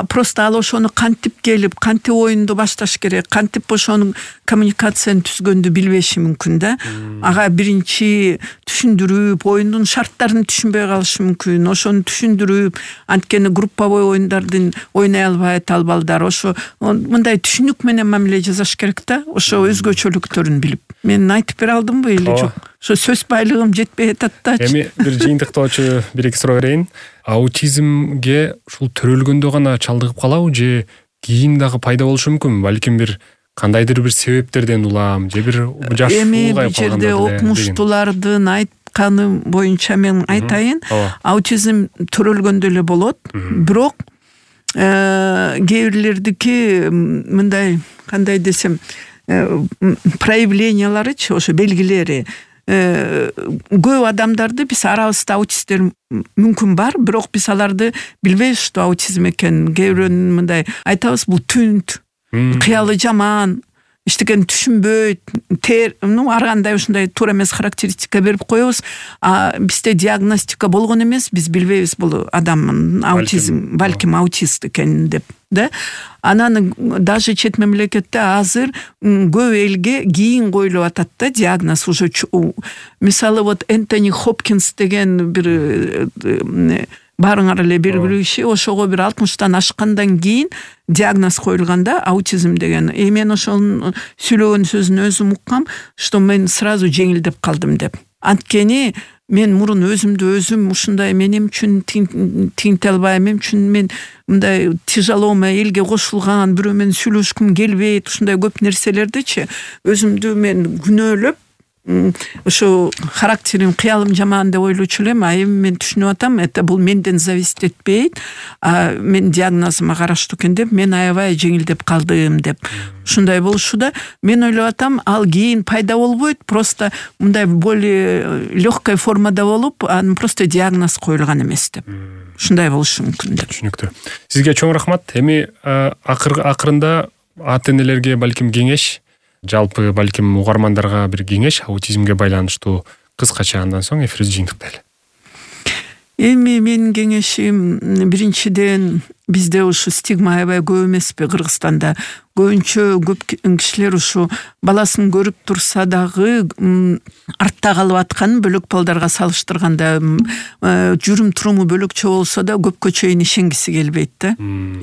Просто ал ошону кантип келип, кантип оюнду башташ керек, кантип ошонун коммуникацияны түзгөндү билбеши мүмкүн да. Ага биринчи түшүндүрүп, оюндун шарттарын түшүнбөй калышы мүмкүн. Ошону түшүндүрүп, анткени групповой оюндардын ойнай албайт ал балдар. Ошо мындай түшүнүк менен мамиле жасаш керек да. Ошо өзгөчөлүктөрүн билип. Мен айтып бере алдымбы или жок? Ошо сөз байлыгым жетпей атат да. Эми бир жыйынтыктоочу бир-эки суроо берейин. Аутизмге ушул төрөлгөндө гана чалдыгып калабы же кийин дагы пайда болушу мүмкүнбү? Балким бир кандайдыр бир себептерден улам же бир жаш улгайып калганда. Эми бул жерде окумуштуулардын айтканы боюнча мен айтайын. Аутизм төрөлгөндө эле болот. Бирок кээ бирлердики мындай кандай десем проявленияларычы, ошо белгилери көп адамдарды биз арабызда аутисттер мүмкүн бар, бирок биз аларды билбейбиз, что аутизм экенин. Кээ бирөөнүн мындай айтабыз, бул түнт, кыялы жаман, эчтекени түшүнбөйт, ар кандай ушундай туура эмес характеристика берип коебуз. Бизде диагностика болгон эмес, биз билбейбиз бул адамдын аутизм, балким аутист экенин деп, да. Анан даже чет мамлекетте азыр көп элге кийин коюлуп атат да диагноз уже. Мисалы вот Энтони Хопкинс деген бир баарыңар эле белгилүү киши, ошого бир 60-тан ашкандан кийин диагноз коюлганда аутизм деген. Мен ошонун сүйлөгөн сөзүн өзүм уккам, что мен сразу жеңилдеп калдым деп. Анткени мен мурун өзүм ушундай менин үчүн тиңте албайм, мен үчүн мен мындай тяжеломо элге кошулган, бирөө менен сүйлөшкүм келбейт, ушундай көп нерселердичи өзүмдү мен күнөөлөп, ошо характерим, кыялым жаман деп ойлочу элем. Эми мен түшүнүп атам, это бул менден зависит этпейт, мен диагнозума караштуу экен деп, мен аябай жеңилдеп калдым деп. Ушундай болушу да. Мен ойлоп атам, ал кийин пайда болбойт, просто мындай более легкой формада болуп, анын просто диагноз коюлган эмес деп. Ушундай болушу мүмкүн деп. Түшүнүктүү. Сизге чоң рахмат. Эми акырында ата энелерге балким кеңеш, жалпы балким угармандарга бир кеңеш аутизмге байланыштуу кыскача, андан соң эфирди жыйынтыктайлы. Эми менин кеңешим биринчиден бизде ушу стигма аябай көп эмеспи Кыргызстанда. Көбүнчө көп кишилер ушу баласын көрүп турса дагы артта калып аткан бөлөк балдарга салыштырганда жүрүм туруму бөлөкчө болсо да көпкө чейин ишенгиси келбейт да.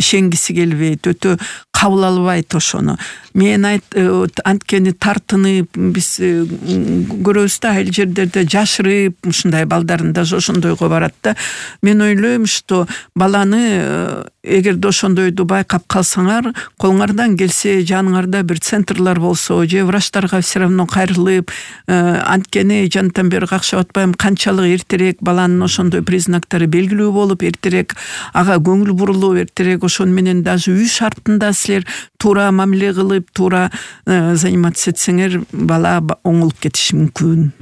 Ишенгиси келбейт, өтө кабыл албайт ошону. Мен анткени тартынып биз көрөбүз да, айыл жерлерде жашырып ушундай балдарын даже ошондойго барат да. Мен ойлойм, что баланы эгерде ошондойду байкап калсаңар, колуңардан келсе жаныңарда бир центрлар болсо, же врачтарга все равно кайрылып, анткени жантан бери какшап атпайм, канчалык эртерээк баланын ошондой признактары белгилүү болуп, эртерээк ага көңүл бурулуп, эртерээк ошон менен даже үй шартында силер туура мамиле кылып, туура заниматься этсеңер, бала оңолуп кетиши мүмкүн.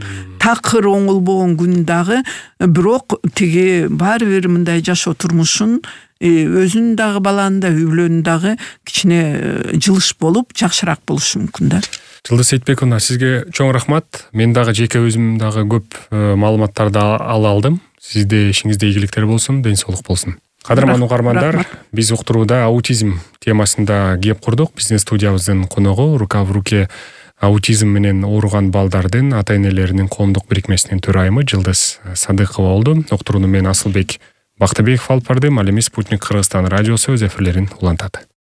Такыр оңолбогон күн дагы, бирок тиги баары бир мындай жашоо турмушун өзүн дагы баланын да үй бүлөнүн дагы кичине жылыш болуп, жакшыраак болушу мүмкүн да. Жылдыз Сейитбековна, сизге чоң рахмат. Мен дагы жеке өзүм дагы көп маалыматтарды ала алдым. Сизде ишиңизде ийгиликтер болсун, ден соолук болсун. Кадырман угармандар, биз уктурууда аутизм темасында кеп курдук. Биздин студиябыздын коногу рука в руке аутизм менен ооруган балдардын ата-энелеринин коомдук бирикмесинин төрайымы Жылдыз Садыкова болду. Уктурууну мен Асылбек Бактыбеков алып бардым. Ал эми Спутник Кыргызстан радиосу өз эфирлерин улантат.